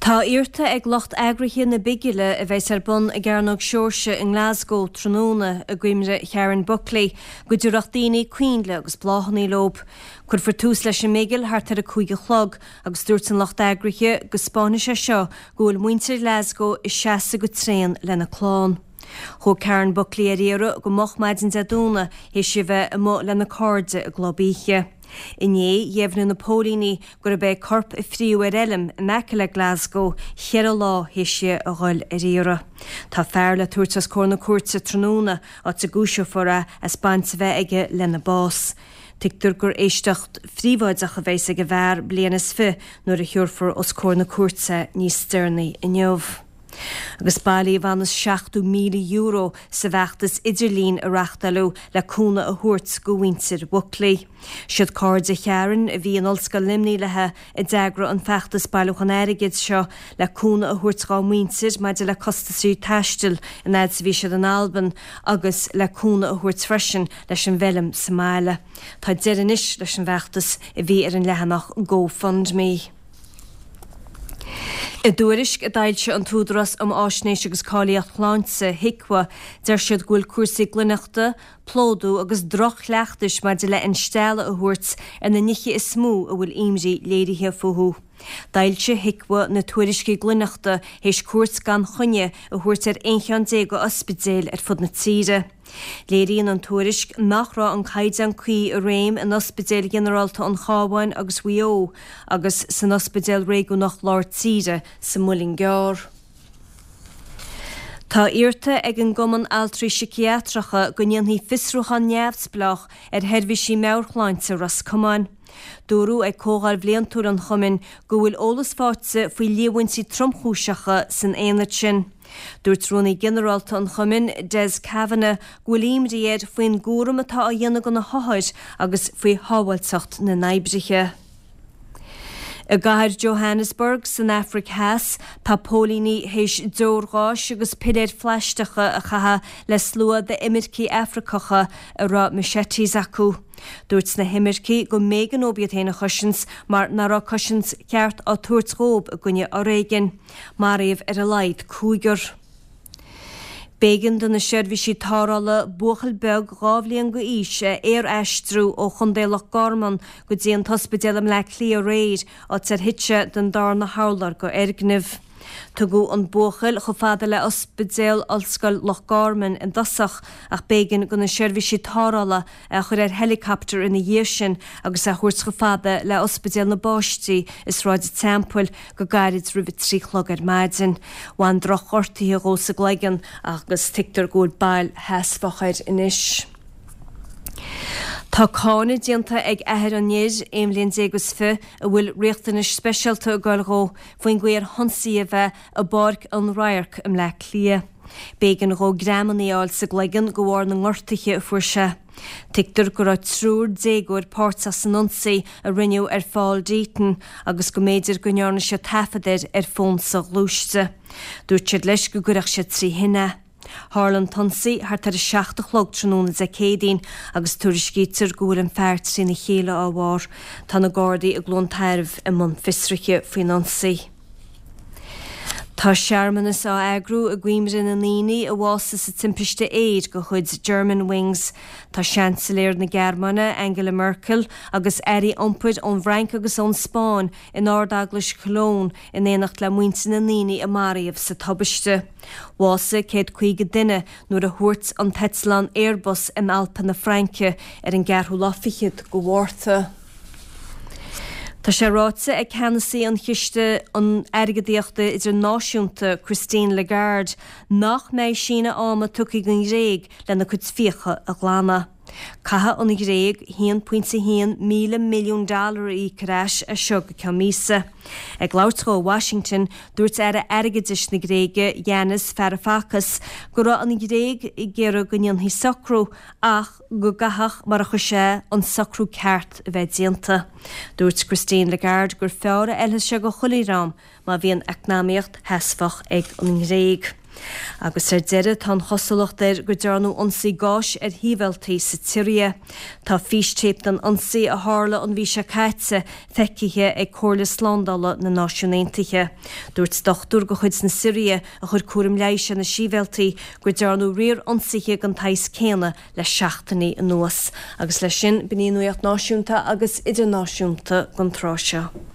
Tá iarrta ag lucht eagraithe na bigile a bheas ar bun i gCearnóg Seoirse i nGlasgow tráthnóna i gcuimhne Sharon Buckley go dtabharfadh daoine coinnle agus bláthanna leo. Cuirfear tús leis an mbigil thart ar a 5 a chlog agus dúirt an lucht eagraithe go 'spáinfidh sé seo go bhfuil muintir Ghlasgow ag seasamh go tréan lena clann. Chuaigh Karen Buckley ar iarraidh go moch maidin Dé Domhnaigh théis di bheith amuigh lena cairde i gclub oíche. Inné, dheimhnigh na póilíní gurb é corp a fríodh ar fheilm in aice le Glasgow cheithre lá théis di a dhul ar iarraidh. Tá fear le tabhairt os comhair na cúirte tráthnóna, áit a gcúiseofar é as baint a bheith aige lena bás. Tuigtear gur éisteacht phríobháideach a bheas ag an bhfear bliain is fi nuair a thabharfar os comhair na cúirte níos deireanaí inniu. Agus bailíodh bhaineas €70,000 sa bhfeachtas idirlín a reachtáileadh le cúnamh a thabhairt go mhuintir Bhuckley. Siad cairde Sharon a bhí in Ollscoil Luimnigh léi a d'eagraigh an feachtas bailiúchán airgid seo le cúnamh a thabhairt dhá muintir maidir le costasaí taistil an fhad is a bhí siad in Albain agus le cúnamh a thabhairt freisin leis an bhfeilm sa mbaile. Tá deireadh anois leis an bhfeachtas a bhí ar an leathanach GoFundMe. I dtuairisc a d'fhoilsigh an tÚdarás um Fháisnéis agus Cáilíocht Shláinte, HIQA, deir siad go bhfuil cúrsaí glaineachta, plódú agus droch-chleachtais maidir le instealladh a thabhairt ar na nithe is mó a bhfuil imní léirithe fúthu. D'fhoilsigh HIQA na tuairiscí glaineachta théis cuairt gan choinne a thabhairt ar 11 cheann d'ospidéil ar fud na tíre. Léiríonn an tuairisc nach raibh an caighdeán cuí i réim in Ospidéil Ghinearálta an Chabháin agus Mhaigh Eo agus san Ospidéal Réigiúnach Lár Tíre sa Muileann gCearr. Tá iarrta ag an gCumann Altraí Siciatracha go ndéanfaí fiosrúchán neamhspleách ar sheirbhísí meabhairshláinte Ros Comáin. Dúradh ag comhdháil bhliantúil an chumainn go bhfuil eolas faighte faoi líomhaintí tromchúiseacha san aonad sin. Dúirt Rúnaí Ginearálta an chumainn, Des Kavanagh, go bhfuil imní air faoin gcúram atá á dhéanamh do na hothair agus faoi shábháilteacht na n-oibrithe. I gcathair Johannesburg san Afraic Theas, tá póilíní théis deoir gháis agus piléir phlaisteacha a chaitheamh le slua d'imircigh Afracacha a raibh machetes acu. Dúirt na himircigh go mb'éigean dóibh iad féin a chosaint mar nach raibh cosaint cheart á tabhairt dhóibh i gcoinne fhoréigin. Maraíodh ar a laghad cúigear. B'éigean do na seirbhísí tarrthála buachaill beag 2 bhliain d'aois a aer-aistriú ó Chontae Loch Garman go dtí an t-ospidéal i mBleá Cliath aréir, áit ar thit sé den darna hurlár de fhoirgneamh. Tugadh an buachaill chomh fada le Ospidéal Ollscoil Loch Garman i dtosach ach b'éigean do na seirbhísí tarrthála é a chur ar helicopter ina dhiaidh sin agus é a thabhairt chomh fada le Ospidéal na bPáistí i Sráid an Teampaill go gairid roimh a 3 a chlog ar maidin. Bhain drochghortuithe dhó sa gcloigeann agus tuigtear go bhfuil bail sheasmhach air anois. Tá cáineadh déanta ag athair an fhir, 21 bhliain is fi, a bhfuil riachtanais speisialta ag goil dhó, faoin gcaoi ar hionsaíodh é i bPáirc an Radhairc i mBleá Cliath. B'éigean dhó greamanna a fháil sa gcloigeann de bharr na ngortuithe a fuair sé. Tuigtear go raibh triúr déagóir páirteach san ionsaí a rinneadh ar Phaul Deaton agus go mb'fhéidir go ndearna siad taifead air ar fón soghluaiste. Dúirt siad leis go gcuirfeadh siad trí thine é. Tharla an t-ionsaí thart ar 7 a chlog tráthnóna Dé Céadaoin agus tuairiscítear go bhfuil an fear trína chéile dá bharr. Tá na Gardaí i gCluain Tairbh i mbun fiosraithe faoin ionsaí. Tá searmanas á eagrú i gcuimhne na ndaoine a bhásaigh sa timpiste aeir de chuid Germanwings. Tá Seansailéir na Gearmáine, Angela Merkel, agus airí iompair ón bhFrainc agus ón Spáinn in Ard-Eaglais Cologne in éineacht le muintir na ndaoine a maraíodh sa tubaiste. Bhásaigh 150 duine nuair a thuairt an t-eitleán Airbus in Alpa na Fraince ar an gceathrú lá fichead de Mhárta. Tá sé ráite ag ceannasaí an Chiste Airgeadaíochta Idirnáisiúnta, Christine Lagarde, nach mbeidh síneadh ama tugtha don Ghréig lena cuid fiacha a ghlanadh. Caithfidh an Ghréig 1.1 míle milliún dollar a íoc ar ais as seo go ceann míosa. Ag labhairt dhó i Washington, dúirt Aire Airgeadais na Gréige, Yanis Varoufakis, go raibh an Ghréig ag iarraidh go ndéanfaí socrú ach go gcaithfeadh, mar a chuir sé, an socrú ceart a bheith déanta. Dúirt Christine Lagarde gur fearr a fheilfeas sé go chuile dhream má bhíonn eacnamaíocht sheasmhach ag an nGréig. Agus ar deireadh, tá an chosúlacht air go dearnadh ionsaí gáis ar shibhialtaigh sa tSiria. Tá fístéip den ionsaí a tharla an mhí seo caite feicthe ag Comhairle Slándála na Náisiún Aontaithe. Dúirt dochtúir de chuid na Siria a chuir cúram leighis ar na sibhialtaigh go dearnadh riar ionsaithe den tsaghas céanna le seachtainí anuas. Agus leis sin, b'in í an nuacht náisiúnta agus idirnáisiúnta don tráth seo.